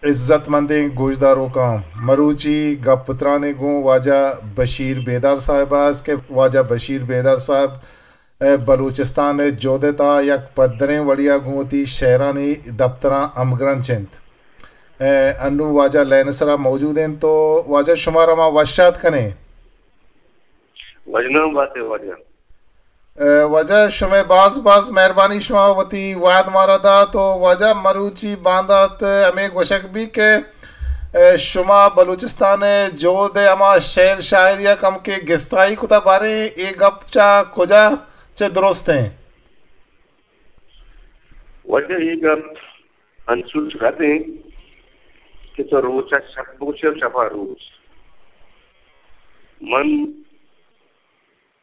عزت مندیں گوشداروکاں، مروچی گپ ترانے گوں واجہ بشیر بیدار صاحب ءَ است کہ واجہ بشیر بیدار صاحب ءَ بلوچستان ءِ جہد ءِ تہا یک پدریں وڑے ءَ گوں وتی شئیرانی دپتراں ہمگرنچ انت۔ ءُ انوں واجہ لائن ءِ سرا موجود انت، تو واجہ شمارا ما وش آتک کنیں۔ وژنام بات ئے واجہ۔ ءُ واجہ شمئے باز باز مہربانی، شما وتی وہد مارا دات۔ ءُ واجہ مروچی باندات ہمے گوشگ بیت کہ ءُ شما بلوچستان ءِ جہد ءِ ہما شئیر شاعری ءَ کمکے گستائی کتہ، باریں اے گپ چہ کجا چہ درست انت؟ واجہ اے گپ انچوش رد انت کہ تو روچ ءَ شپ بگوش ئے ءُ شپ ءَ روچ۔ من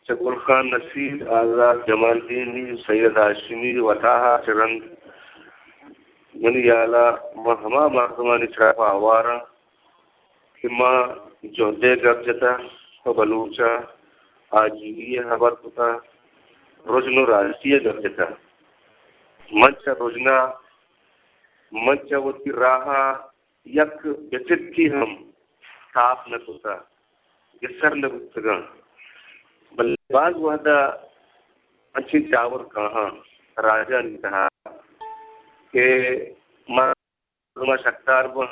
چہ گل خان نصیر، آزات جمالدینی، سید ہاشمی وتاہا چہ رند منی ہیالا ما ہما مردمانی سرا پہ آوار آں کہ ما جہدے گپ جتہ، پہ بلوچ ءِ آجوئی ءِ ہبر کتہ، رژن ءُ راستی ءِ گپ جتہ۔ من چہ رژن ءَ، من چہ وتی راہ ءَ یک بچکے ہم تاپ نہ کتہ، گسر نہ بوتگاں۔ بلے باز وہد ءَ انچیں جاور کاہاں راجانی تہا کہ مردم ءَ شکدار باں۔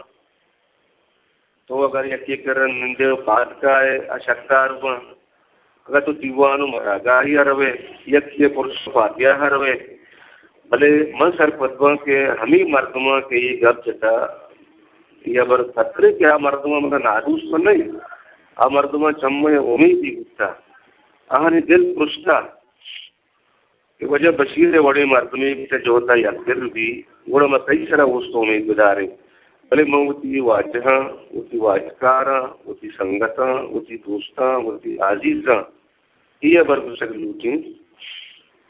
تو اگر یکے کرا نندے ءُ پاد کائے، آ شکدار باں۔ اگاں تو دیوان ءُ مراگاہے ءَ روئے، یکے ءِ پرس ءُ پادیاہ ءَ روئے، بلے من سرپد باں کہ ہمے مردماں کہ اے گپ جتہ، اے ہبر پترے کہ آ مردماں منا نادوست نہ انت، آ مردماں چہ مئے امیدے بوتہ، آہانی دل پرشتہ کہ واجہ بشیر ءِ وڑیں مردمے کہ چہ جہد ءَ یکدل بی، گڑا ما تئی سرا اوست ءُ امیت بداریں۔ بلے من وتی واجہاں، وتی واجکاراں، وتی سنگتاں، وتی دوستاں، وتی آزیزاں اے ہبر گوشگ لوٹیں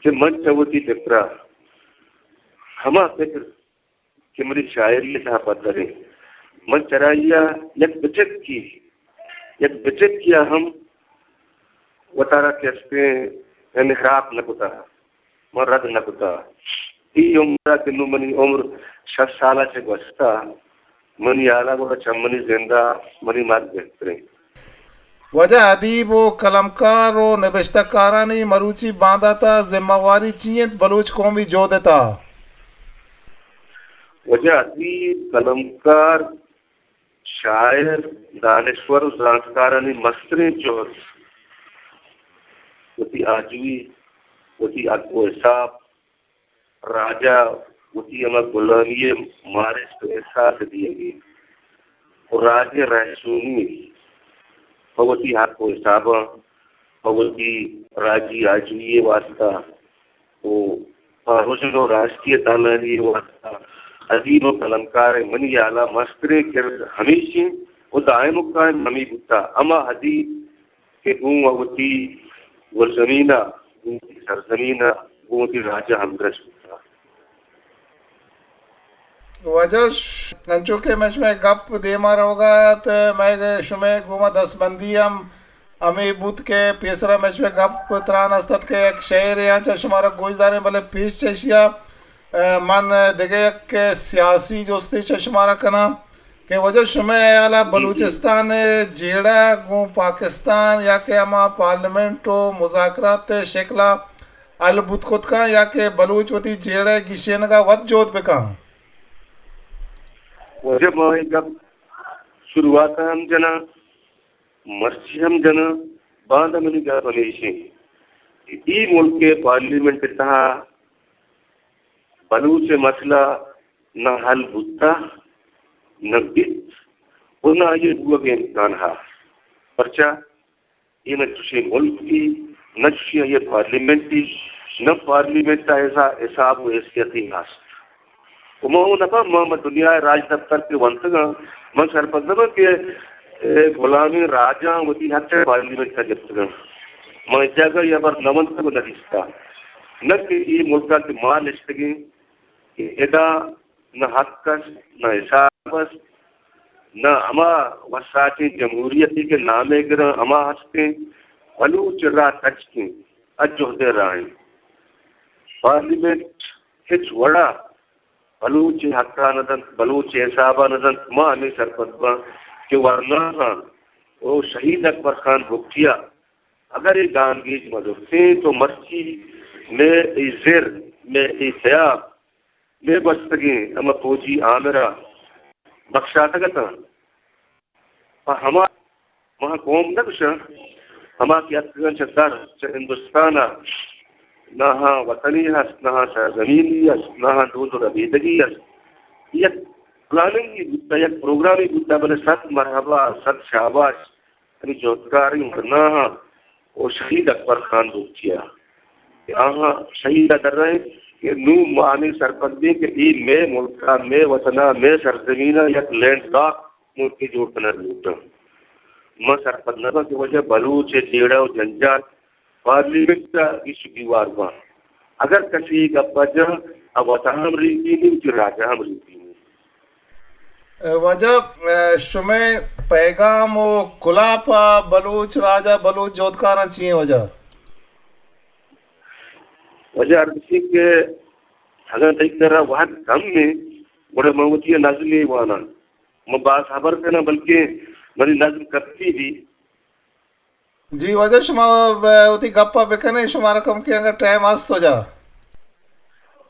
کہ من چہ وتی پکر ءَ ہما پکر کہ منی شاعری ءِ تہا پدر انت، من چرائی ءَ یک بچکے، یک بچکے ءَ ہم وتارا کہ استیں انحراف نہ کتہ، من رد نہ کتہ۔ اے عمر ءَ کہ نوں منی عمر شست سال ءَ چہ گوستہ، منی ہیال ءَ گڑا چہ منی زند ءَ منی مرگ بہتریں۔ واجہ، ادیب ءُ قلمکار ءُ نبشتہ کارانی مروچی باندات ءِ ذمہ واری چی انت بلوچ قومی جہد ءِ تہا؟ واجہ، ادیب، قلمکار، شاعر، دانشور ءُ زانتکارانی مستریں جہد وتی آجوئی، وتی حق ءُ حساب، راج ءَ وتی ہما گلامی ءِ مارشت ءُ احساس ءِ دیگ ءَ، ءُ راج ءِ رہشونی ءَ پہ وتی حق ءُ حساباں، پہ وتی راجی آجوئی ءِ واستہ ءُ پہ رژن ءُ راستی ءِ تالانی ءِ واستہ ادیب ءُ قلمکار ءِ منی ہیال ءَ مستریں کرد ہمیش انت ءُ دائم ءُ قائم ہمے بوتہ۔ ہما ادیب کہ گوں وتی گلزمین ءَ، گوں وتی سرزمین ءَ، گوں وتی راج ءَ ہمگرنچ بوتگ۔ واجہ، انچو کہ مئے شمئے گپ دیما روگ ءَ ات، مئے شمئے گوما دستبندی ہم ہمے بوت کہ پیسرا مئے شمئے گپ تران است ات کہ یک شعرے آں چہ شمارا گوش داریں، بلے پیش چہ ایشی ءَ، ءَ، من دگہ یک سیاسی جستے چہ شمارا کناں۔ کہ واجہ، شمئے ہیال ءَ بلوچستان ءِ جیڑہ گوں پاکستان یا کہ ہما پارلیمنٹ ءُ مذاکرات ءِ شکل ءَ حل بوت کت کن یا کہ بلوچ وتی جیڑہ ءِ گیشینگ ءَ وت جہد بکن؟ واجہ، ما اے گپ شروعات ءَ ہم جناں، مرچی ہم جناں، باندا منی گپ ہمیش انت کہ اے ملک ءِ پارلیمنٹ ءِ تہا بلوچ ءِ مسئلہ نہ حل بوتہ، نہ بیت ءُ نہ آئی ءِ بوگ ءِ امکان ہست۔ پرچا؟ اے نہ چشیں ملکے، نہ چشیں آئی ءِ پارلیمنٹے، نہ پارلیمنٹ ءَ ایشی ءَ حساب ءُ حیثیتے ہست۔ ءُ ما اوں نہ پہم، ما، ما دنیا ءِ راجدپتر کہ ونتگ آں، من سرپد نہ باں کہ، اے، غلامیں راجاں وتی حق چہ پارلیمنٹ ءَ گپتگ انت۔ ما ہچ جاگہ اے ہبر نہ ونتگ ءُ نہ دیستہ۔ نہ کہ اے ملک ءَ کہ ما نشتگیں، کہ ادا نہ حق است، نہ حساب است، نہ ہما وساچیں جمہوریتے کہ نام ءَ گراں ہما ہستیں۔ بلوچ ءِ راہ تچکیں، اجہد ءِ راہ انت۔ پارلیمنٹ ہچ وڑا بلوچ ءِ حق ءَ نہ دنت، بلوچ ءِ حساب ءَ نہ دنت، ما ہمے سرپد باں کہ ورناہاں و شہید اکبر خان بگٹی ءَ اگر اے گامگیج مہ زرتیں تو مرچی مئے اے زر، مئے اے سیاہ، مئے گوستگیں ہما فوجی آمر ءَ بخشاتگ اتاں۔ پہ ہما، ما قوم نہ گوشاں، ہما کہ اتکگاں چہ در، چہ ہندوستان ءَ، نہ آہاں وطنے ہست، نہ آہاں سرزمینی ہست، نہ آہاں دود و ربیدگی ہست۔ یک پلاننگے بوتہ، یک پروگرامے بوتہ، بلے صد مرحبا، صد شاباش ہمے جہدکاریں ورناہاں و شہید اکبر خان بگٹی ءَ کہ آہاں شہید ءَ درائیں کہ نوں ما ہمے سرپد بیں کہ اے مئے ملک ءَ، مئے وطن ءَ، مئے سرزمین ءَ یک لینڈ لاک ملکے جوڑ کنگ لوٹاں۔ ما سرپد نہ باں کہ واجہ بلوچ ءِ جیڑہ و جنجال پارلیمنٹ ءَ ایشو دیوار باں۔ اگر کسی اے گپ ءَ جن، آ وت ءَ ہم ریپینی، وتی راج ءَ ہم ریپینی۔ واجہ، شمئے پیغام و کلاپ ءَ بلوچ راج ءَ بلوچ جہدکاراں چی ایں واجہ؟ واجہ عرض اِش اِنت کہ اگاں تئی کرا وہد کم ایں، گڑا من وتی نظمے واناں۔ من باز ہبر کناں، بلکیں منی نظم کپتی بی۔ جی واجہ، شما ب-، وتی گپ ءَ بکن ئے، شمارا کمکے انگت ٹائم ہست واجہ۔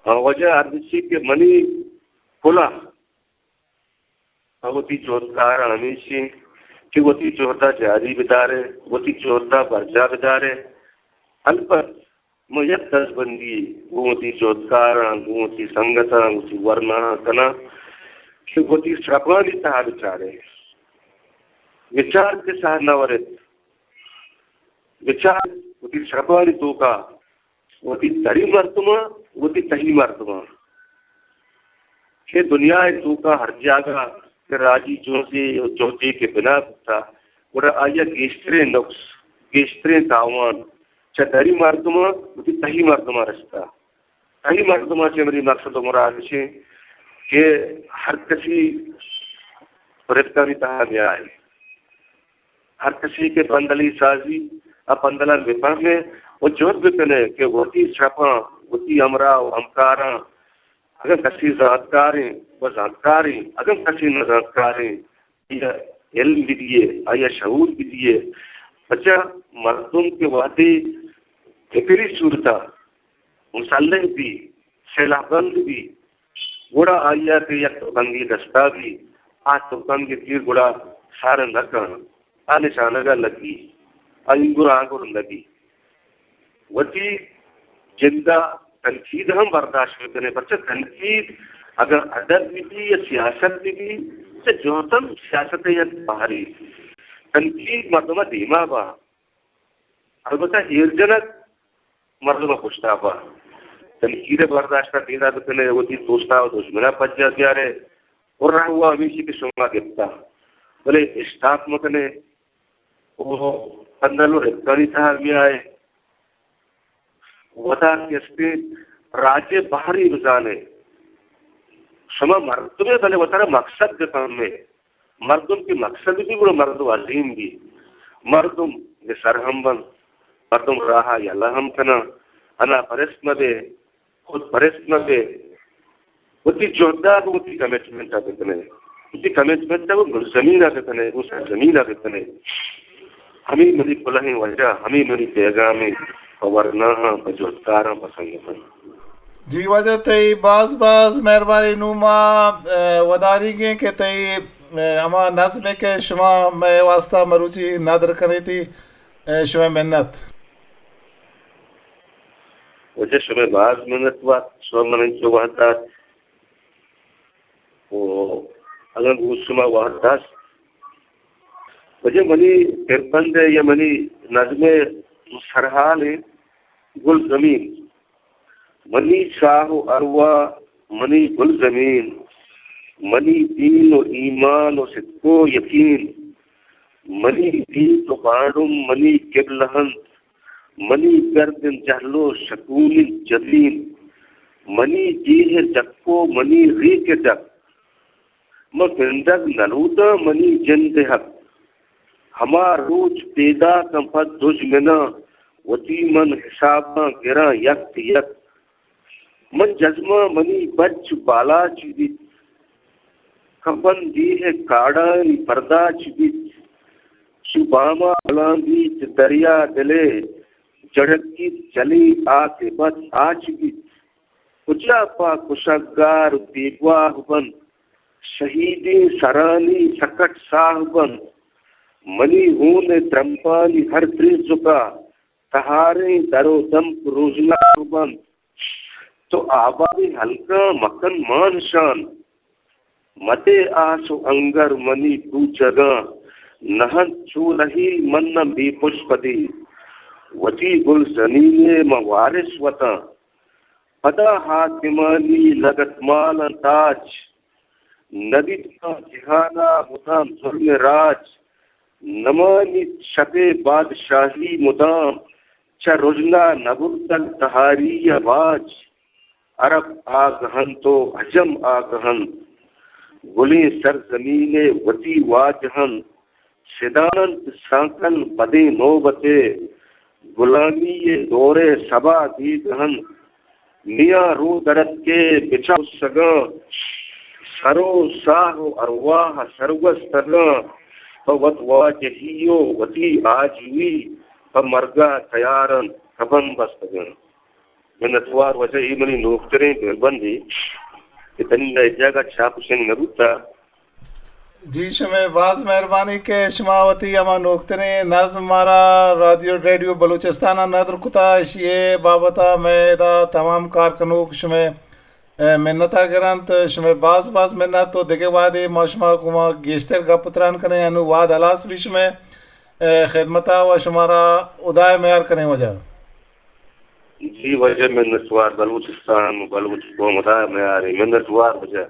ہاں واجہ، عرض اِش اِنت کہ منی کلاہ پہ وتی جہدکاراں ہمیش اِنت کہ وتی جہد ءَ جاری بدار ئے، وتی جہد ءَ برجاہ بدار ئے۔ البت من یک دزبندی گوں وتی جہدکاراں، گوں وتی سنگتاں، وتی ورناہاں کناں کہ وتی سرپانی تہا بچار ئے، بچار کہ ساہ نہ ورت، بچار وتی سرپانی توکا وتی دری مردماں، وتی تہی مردماں کہ دنیا ءِ توکا ہر جاگہ کہ راجی جہدے و جہدے کہ بنا بوتا، گڑا آئی ءَ گیشتریں نقص، گیشتریں تاوان چہ دری مردماں وتی تہی مردماں رستا۔ تہی مردماں چہ منی مقصد و مراد اِش اِنت کہ ہر کسی رپتانی تہا نیائے۔ ہر کسی کہ پندلی سازی، آ پندلاں بفہمے و جہد بکنے کہ وتی سرپاں، وتی ہمراہ و ہمکاراں، اگاں کسی زانتکاریں و زانتکاریں، اگاں کسی نزانتکاریں، آئی ءَ علم بدیے، آئی ءَ شعور بدیے۔ پرچا مردم کہ وہدے فکری صورت ءَ مسلح بی، سلاہ بند بی، گڑا آئی ءَ کہ یک تپنگے دستا بی، آ تپنگ ءِ تیر گڑا سارنگ نہ کن، آ نشانگ ءَ لگی، آ اینگر آنگر نہ بی۔ وتی جند ءَ تنقید ہم برداشت بکنے، پرچا تنقید اگاں ادب بہ بی یا سیاست بہ بی، چہ جہد ہم سیاست ءِ یک بہرے۔ تنقید مردم ءَ دیما با، البتہ ایر جنگ مردم ءَ پشتا با۔ تنقید ءِ برداشت ءَ پیدا بکنے، وتی دوستا و دژمنا پجا بیارے، و رہوا ہمیشی کہ شما گپتا، بلے اشتاپ مکنے و پندل و رپتانی تہا بیائے۔ وتا کہ استیں راج ءِ بہرے بزانے۔ شما مردمے، بلے وتارا مقصد بفہمے۔ مردم کہ مقصد بی، گڑا مردم عظیم بی۔ مردم بے سر ہم بنت، مردم راہ ءَ یلہ ہم کناں۔ انا پرست مہ بے، خود پرست مہ بے۔ وتی جہد ءَ گوں وتی کمٹمنٹ ءَ بکنے، وتی کمٹمنٹ ءَ گوں گلزمین ءَ بکنے، گوں سرزمین ءَ بکنے۔ ہمے منی کلہیں وجہ، ہمے منی پیغامے پہ ورناہاں، پہ جہدکاراں، پہ سنگتاں۔ جی واجہ، تئی باز باز مہربانی۔ نوں ما، اے، وداریگیں کہ تئی، اے، ہما نظمے کہ شما مئے واسطہ مروچی ندر کنیتی، اے، شمئے منت۔ واجہ شمئے باز منت وار، شما من انچو وہد دات۔ و اگاں گوں شما وہد داشت، واجہ منی پربند ءِ یا منی نظم ءِ سرحال ءِ گلزمین، منی ساہ و ارواہ منی گلزمین، منی دین و ایمان و صدق و یقین، منی دین و بانڑم منی قبلہ انت، منی گردن جہل و شکونی جبین، منی ڈیھ ءِ ڈک و منی ریک ءِ ڈک، من گندگ نہ لوٹاں منی جند ءِ حق۔ ہما روچ پیداکاں پہ دژمناں، وتی من حساباں گراں یک یک۔ من جزماں منی بچ بالاچ بیت، کپن دیہ کاڑانی پرداچ بیت، چو باما بلان بیت دریا دلے جڑکیت، جلی آتے بس آچ بیت۔ کجا پہ کشگار بیگواہ بنت، شہیدیں سرانی سکٹ ساہ بنت۔ منی ہون ء ترمپانی ہر تریزکا تہاریں در و دمک روژناہ بنت۔ تو آبادیں ہلکاں مکن مان شان، مدے آس و انگر منی بوچگاں، نہ انت چو رہی من نہ بے پش پدی۔ وتی گل زمینے من وارث وتاں، پدا حاکمانی لگتمالاں تاج۔ نہ بیت ماں جہانا مدام ظلم راج، نمانیت شپ ء بادشاہی مدام، چہ رژنا نبرتگ تہاری ء باج۔ عرب آگہ انت و عجم آگہ انت، گلیں سرزمین ء وتی واجہ انت۔ سدان انت سانکل بدیں نوبت ء، گلامی ء دور ء سبا دیگ انت۔ میاں رو درتکے بچار سگاں، سر و ساہ و ارواہ سرگوستگاں، پہ وت واجہی و وتی آجوئی پہ مرگا تیار انت، کپن بستگاں۔ منتوار واجہ، اے منی نوکتریں دربندے کہ تنی اے جاگہ چاپ و شنگ نہ بوتا۔ جی، شمئے باز مہربانی کہ شما وتی ہما نوکتریں نظم مارا رادیو ریڈیو بلوچستان ء ندر کتا، اشی ء بابت ء مئے ادا تمام کار کنوک شمئے، اے، منت ء گرنت۔ شمئے باز باز منت و دگہ وہدے ما شما گوما گیشتر گپ و تران کنیں۔ انو وہد ہلاس بی شمئے، اے، خدمت ء و شمارا ہدائے میار کنیں واجہ۔ جی واجہ منتوار، بلوچستان، بلوچ قوم ہدائے میارے، منتوار واجہ۔